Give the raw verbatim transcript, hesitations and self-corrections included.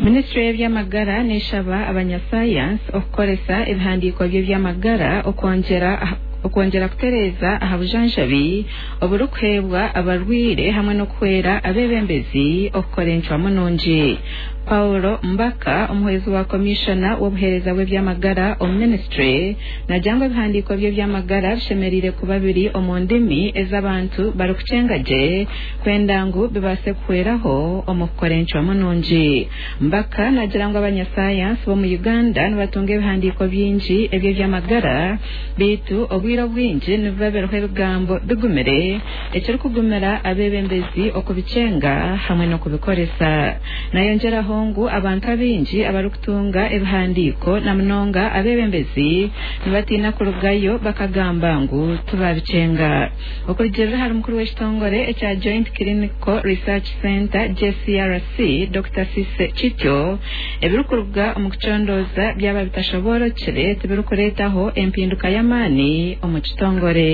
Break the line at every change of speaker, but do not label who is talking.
Minisitule y'ebyamagara neeshaba abanyasayansi okukoresa ebihandiiko by'ebyamagara okwongyera okwongyera kutereeza aha bujanjabi oburikuheebwa abarwaire hamwe n'okuhwera abeebembezi okukora encwamu nungi. Paulo Mbaka, omuhwezi wa komishona w'obuheereza bw'ebyamagara omu minisitule, naagira ngu ebihandiiko by'ebyamagara bishemereire kuba biri omu ndimi ez'abantu barikukyenga gye kwenda ngu bibaase kuhweraho omu kukora encwamu nungi. Mbaka naagira ngu abanyasayansi b'omu Uganda nibatunga ebihandiiko bingi eby'ebyamagara, beitu obwire obwingi nibiba biriho ebigambo bigumire ekirikugumira abeebembezi okubikyenga hamwe n'okubikoresa. Nayongyeraho ngu abantu abaingi abarikutunga ebihandiiko na munonga abeebembezi nibatiina kurugayo bakagamba ngu tibabikyenga. Okurugiirira ahari mukuru w'ekitongore ekya Joint Clinical Research Centre J C R C, Dokita Cissy Kityo, ebirikuruga omu kucondooza byaba bitashoboorokire tibirikureetaho empinduka y'amaani omu kitongore.